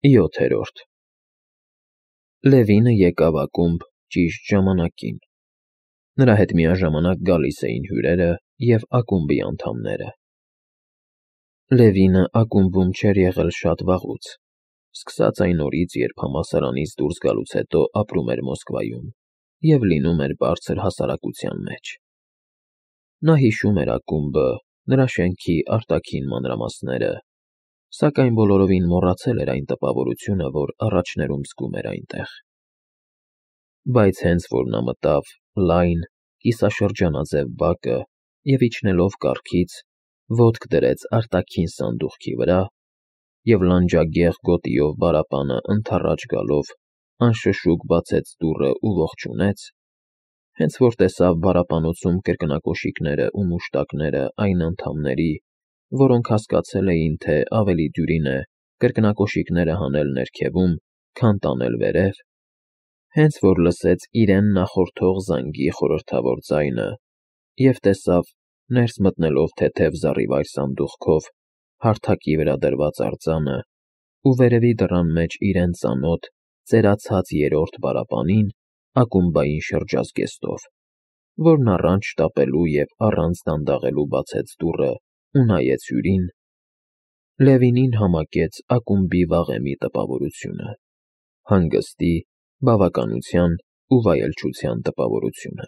7. Լևինը եկավ ակումբ ճիշտ ժամանակին. նրա հետ միաժամանակ գալիս էին հյուրերը և ակումբի անդամները։ Լևինը ակումբում չէր եղել շատ վաղուց, սկսած այն օրից, երբ համալսարանից դուրս գալուց հետո ապրում էր Մոսկվայում և լինում էր բարձր հասարակության մեջ։ Նա հիշում էր ակումբը, նրա շենքի արտաքին մանրամասները, սակայն բոլորովին մոռացել էր այն տպավորությունը, որ առաջներում զգում էր այնտեղ։ Բայց հենց որ նա մտավ լայն, կիսաշրջանաձև բակը և իջնելով կառքից, ոտք դրեց արտաքին սանդուղքի վրա և լանջագեղ գոտիով պարապանը ընդառաջ գալով անշշուկ բացեց դուռը ու ողջունեց, հենց որ տեսավ պարապանոցում կրկնակոշիկները ու մուշտակները այն անդամների, որոնք հասկացել էին, թե ավելի դյուրին է կրկնակոշիկները հանել ներքևում, քան տանել վերև, հենց որ լսեց իրեն նախորդող զանգի խորհրդավոր ձայնը և տեսավ ներս մտնելով թեթև զառիվայր սանդուղքով հարթակի վրա դրված արձանը ու վերևի դռան մեջ իրեն ծանոթ ծերացած երրորդ պարապանին ակումբային շրջազգեստով, որն առանց շտապելու և առանց դանդաղելու բացեց դուռը ու նայեց հյուրին, Լևինին համակեց ակումբի վաղեմի տպավորությունը, հանգստի, բավականության ու վայելչության տպավորությունը։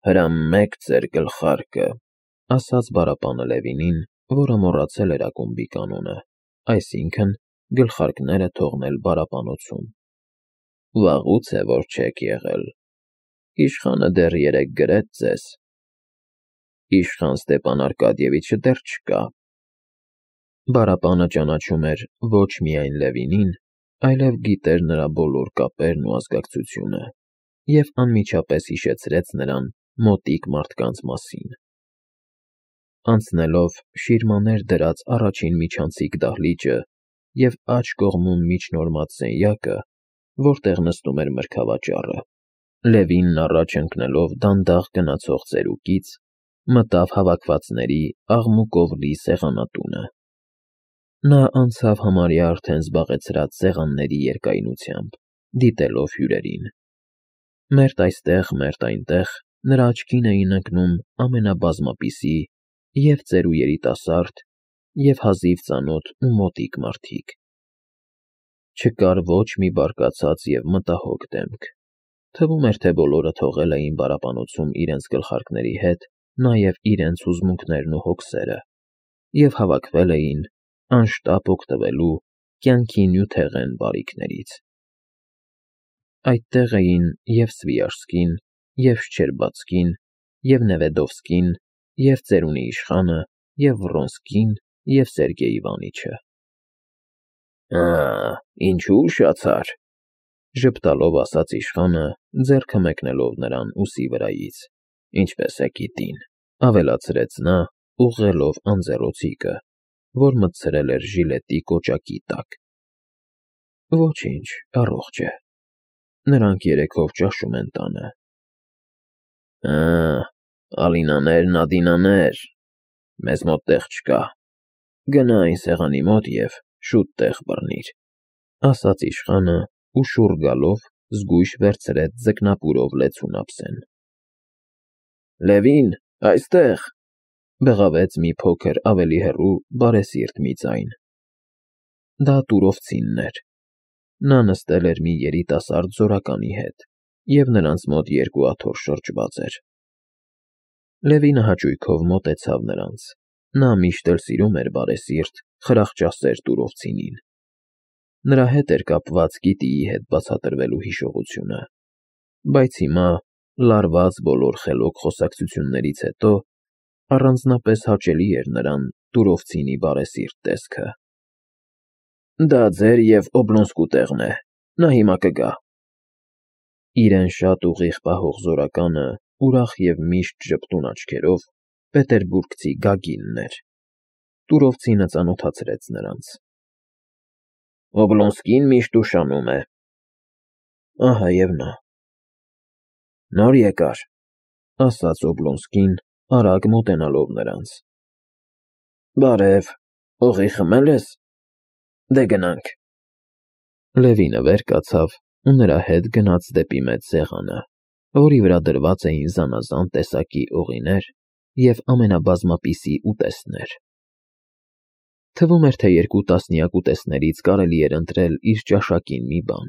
«Հրամեք ձեր գլխարկը», ասաց պարապանը Լևինին, որը մոռացել էր ակումբի կանոնը, այսինքն գլխարկները թողնել պարապանոցում։ «Վաղուց է, որ չեք եղել։ Իշխանը դեռ երեկ գրեց ձեզ»։ «Իշխան Ստեպան Արկադիևիչը դեռ չկա»։ Պարապանը ճանաչում էր ոչ միայն Լևինին, այլև գիտեր նրա բոլոր կապերն ու ազգակցությունը և անմիջապես հիշեցրեց նրան մոտիկ մարդկանց մասին։ Անցնելով շիրմաներ դրած առաջին միջանցիկ դահլիճը և աջ կողմում միջնորմած սենյակը, որտեղ նստում էր մրգավաճառը, Լևինն առաջ ընկնելով դանդաղ գնացող ծերուկից, մտավ հավաքվածների աղմուկով լի սեղանատունը։ Նա անցավ համարյա արդեն զբաղեցրած սեղանների երկայնությամբ, դիտելով հյուրերին։ Մերթ այստեղ, մերթ այնտեղ նրա աչքին էին ընկնում ամենաբազմապիսի և՛ ծեր ու երիտասարդ, և՛ հազիվ ծանոթ ու մոտիկ մարդիկ։ Չկար ոչ մի բարկացած և մտահոգ դեմք։ Թվում էր, թե բոլորը թողել էին պարապանոցում իրենց գլխարկների հետ նաև իրենց հուզմունքներն ու հոգսերը և հավաքվել էին անշտապ օգտվելու կյանքի նյութեղեն բարիքներից։ Այդտեղ էին և՛ Սվիաժսկին, և՛ Շչերբացկին, և՛ Նևեդովսկին, և՛ ծերունի իշխանը, և՛ Վռոնսկին, և՛ Սերգեյ Իվանիչը։ «Ա՜, ինչու ուշացար», ժպտալով ասաց իշխանը, ձեռքը մեկնելով նրան ուսի վրայից։ «Ինչպես է գիտին», ավելացրեց նա, ուղղելով անձեռոցիկը, որ մտցրել էր ժիլետի կոճակի տակ։ «Ոչինչ, առողջ է։ Նրանք երեքով ճաշում են տանը»։ «Ա, Ալինաներն Ադինաներ, մեզ մոտ տեղ չկա։ Գնա այն սեղանի մոտ և շուտ տեղ բռնիր», ասաց իշխանը ու շուռ գալով զգույշ վերցրեց ձկնապուրով լեցուն ափսեն։ «Լևին, այստեղ», բղավեց մի փոքր ավելի հեռու բարեսիրտ մի ձայն։ Դա Տուրովցինն էր։ Նա նստել էր մի երիտասարդ զորականի հետ, և նրանց մոտ երկու աթոռ շրջված էր։ Լևինը հաճույքով մոտեցավ նրանց. նա միշտ էլ սիրում էր բարեսիրտ, խրախճասեր Տուրովցինին։ Նրա հետ էր կապված գիտիի հետ բացատրվելու հիշողությունը, բայց հիմա, լարված բոլոր խելոք խոսակցություններից հետո, առանձնապես հաճելի էր նրան Տուրովցինի բարեսիրտ տեսքը։ «Դա ձեր և Օբլոնսկու տեղն է, նա հիմա կգա»։ Իրեն շատ ուղիղ պահող զորականը ուրախ և միշտ ժպտուն աչքերով պետերբուրգցի Գագինն էր։ Տուրովցինը ծանոթացրեց նրանց։ «Օբլոնսկին միշտ ուշանում է»։ Ահա և նա։ «Նոր եկա՞ր», ասաց Օբլոնսկին, արագ մոտենալով նրանց։ «Բարև, օղի խմել ես։ Դե գնանք»։ Լևինը վեր կացավ ու նրա հետ գնաց դեպի մեծ սեղանը, որի վրա դրված էին զանազան տեսակի օղիներ և ամենաբազմապիսի ուտեստներ։ Թվում էր, թե 2 տասնյակ ուտեստներից կարելի էր ընտրել իր ճաշակին մի բան,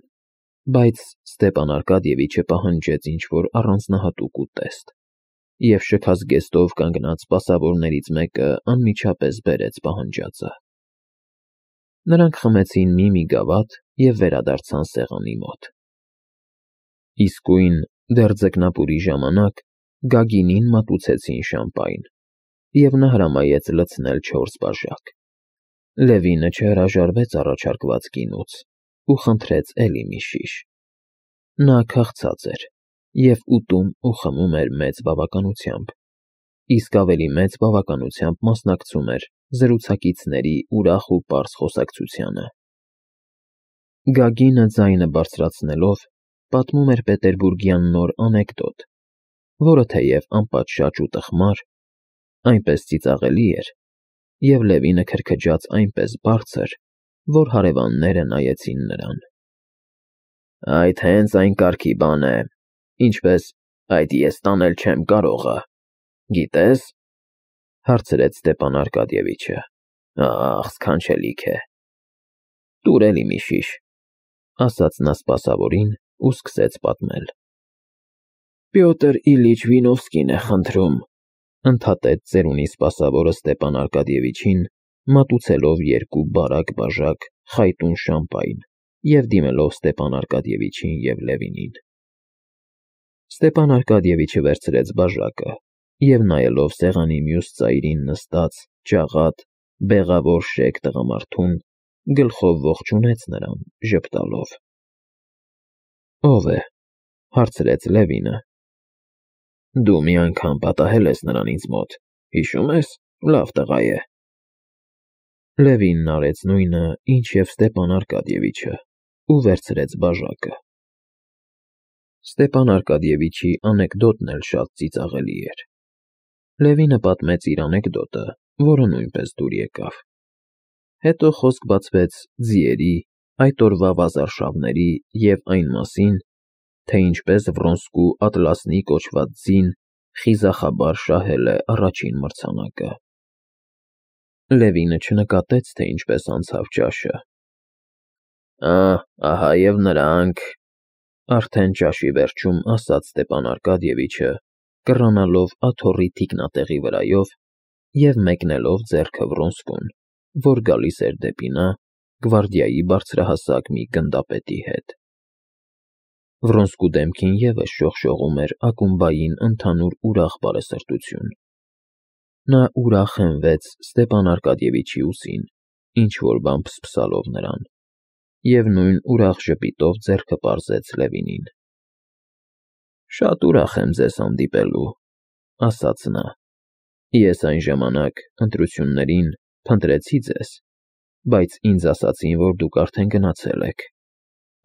բայց Ստեպան Արկադիևիչը պահանջեց ինչ-որ առանձնահատուկ ուտեստ, և շքած գեստով կանգնած սպասավորներից մեկը անմիջապես բերեց պահանջածը։ Նրանք խմեցին մի գավաթ և վերադարձան սեղանի մոտ։ Իսկույն դեռ ձկնապուրի ժամանակ Գագինին մատուցեցին շամպայն, և նա հրամայեց լցնել 4 բաժակ։ Լևինը չհրաժարվեց առաջարկված գինուց ու խնդրեց էլի մի շիշ։ Նա քաղցած էր և ուտում ու խմում էր մեծ բավականությամբ, իսկ ավելի մեծ բավականությամբ մասնակցում էր զրուցակիցների ուրախ ու պարզ խոսակցությանը։ Գագինը ձայնը բարձրացնելով պատմում էր պետերբուրգյան նոր անեկդոտ, որը թեև անպատշաճ ու տխմար, այնպես ծիծաղելի էր, և Լևինը քրքջաց այնպես բարձր, որ հարևանները նայեցին նրան։ «Այդ հենց այն կարգի բան է, ինչպես այդ ես տանել չեմ կարողը, գիտե՞ս,» հարցրեց Ստեպան Արկադիևիչը։ «Ախ, սքանչելիք է»։ «Տուր էլի մի շիշ», ասաց նա սպասավորին ու սկսեց պատմել։ «Պյոտր Իլիչ Վինովսկին է խնդրում», ընդհատեց ծերունի սպասավորը Ստեպան Արկադիևիչին, մատուցելով 2 բարակ բաժակ խայտուն շամպայն և դիմելով Ստեպան Արկադիևիչին և Լևինին։ Ստեպան Արկադիևիչը վերցրեց բաժակը և, նայելով սեղանի մյուս ծայրին նստած, ջաղատ, բեղավոր շեկ տղամարդուն, գլխով ողջունեց նրան, ժպտալով։ «Ո՞վ է,» հարցրեց Լևինը։ «Դու մի անգամ պատահել ես նրան ինձ մոտ, հիշում ես, լավ տղա է»։ Լևինն արեց նույնը, ինչ և Ստեպան Արկադիևիչը, ու վերցրեց բաժակը։ Ստեպան Արկադիևիչի անեկդոտն էլ շատ ծիծաղելի էր։ Լևինը պատմեց իր անեկդոտը, որը նույնպես դուր եկավ։ Հետո խոսք բացվեց ձիերի, այդ օրվա վազարշավների և այն մասին, թե ինչպես Վրոնսկու Ատլասնի կոչված ձին խիզախաբար շահել է առաջին մրցանակը։ Լևինը չնկատեց, թե ինչպես անցավ ճաշը։ Ահա և նրանք, արդեն ճաշի վերջում ասաց Ստեպան Արկադիևիչը, կռանալով աթոռի թիկնատեղի վրայով և մեկնելով ձեռքը Վրոնսկուն, որ գալիս էր դեպի նա գվարդիայի բարձրահասակ մի գնդապետի հետ։ Վրոնսկու դեմքին ևս շողշողում էր ակումբային ընդհանուր ուրախ բարեսրտություն։ Նա ուրախ հենվեց Ստեպան Արկադիևիչի ուսին, ինչ-որ բան փսփսալով նրան, և նույն ուրախ ժպիտով ձեռքը պարզեց Լևինին։ «Շատ ուրախ եմ ձեզ հանդիպելու», ասաց նա։ «Ես այն ժամանակ ընտրություններին փնտրեցի ձեզ, բայց ինձ ասացին, որ դուք արդեն գնացել եք»,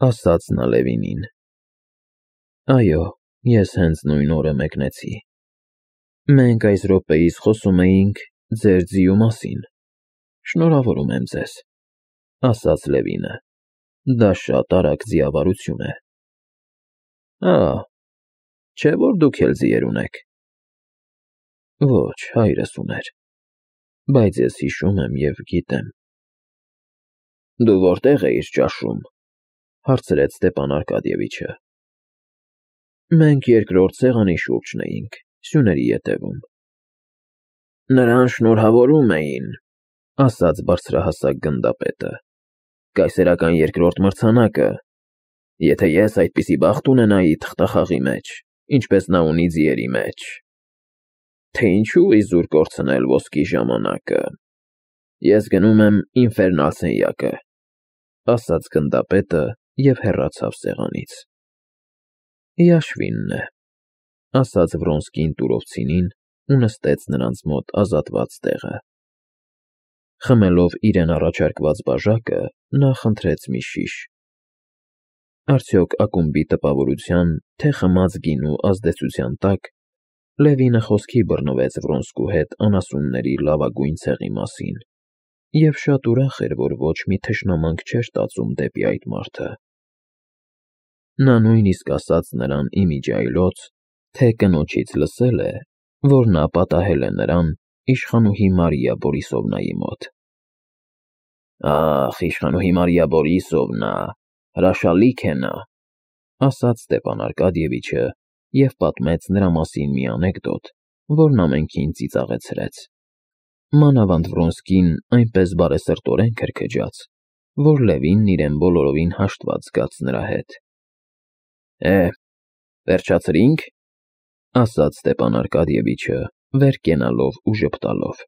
ասաց նա Լևինին։ «Այո, ես հենց նույն օրը մեկնեցի։ Մենք այս րոպեիս խոսում էինք ձեր ձիու մասին։ Շնորհավորում եմ ձեզ», ասաց Լևինը։ «Դա շատ արագ ձիավարություն է»։ Չէ՞ որ դուք էլ ձիեր ունեք։ Ոչ, հայրս ուներ, բայց ես հիշում եմ և գիտեմ։ Դու որտե՞ղ էիր ճաշում, հարցրեց Ստեպան Արկադիևիչը։ Մենք երկրորդ սեղանի շուրջն էինք, սյուների ետևում։ Նրան շնորհավորում էին, ասաց բարձրահասակ գնդապետը։ Կայսերական երկրորդ մրցանակը։ Եթե ես այդպիսի բախտ ունենայի թղթախաղի մեջ, ինչպես նա ունի ձիերի մեջ, թե ինչու իզուր կորցնել ոսկի ժամանակը, ես գնում եմ ինֆերնալ սենյակը, ասաց գնդապետը և հեռացավ սեղանից։ Հիաշվինն է, ասաց Վրոնսկին տուրովցինին ու նստեց նրանց մոտ ազատված տեղը։ Խմելով իրեն առաջարկված բաժակը, նա խնդրեց մի շիշ։ Արդյոք ակումբի տպավորության, թե խմած գինու ազդեցության տակ Լևինը խոսքի բռնվեց Վրոնսկու հետ անասունների լավագույն ցեղի մասին և շատ ուրախ էր, որ ոչ մի թշնամանք չէր տածում դեպի այդ մարդը։ Նա նույնիսկ ասաց նրան իմիջիայլոց, թե կնոջից լսել է, որ նա պատահել է նրան իշխանուհի Մարիա Բորիսովնայի մոտ։ «Ախ, իշխանուհի Մարիա Բորիսովնա, հրաշալիք է նա», ասաց Ստեփան Արկադիևիչը և պատմեց նրա մասին մի անեկդոտ, որն ամենքին ծիծաղեցրեց։ Մանավանդ Վրոնսկին այնպես բարեսրտորեն քրքջաց, որ Լևինն իրեն բոլորովին հաշտված զգաց նրա հետ։ Վերջացրի՞նք, ասաց Ստեփան Արկադիևիչը, վեր կենալով ու ժպտալով։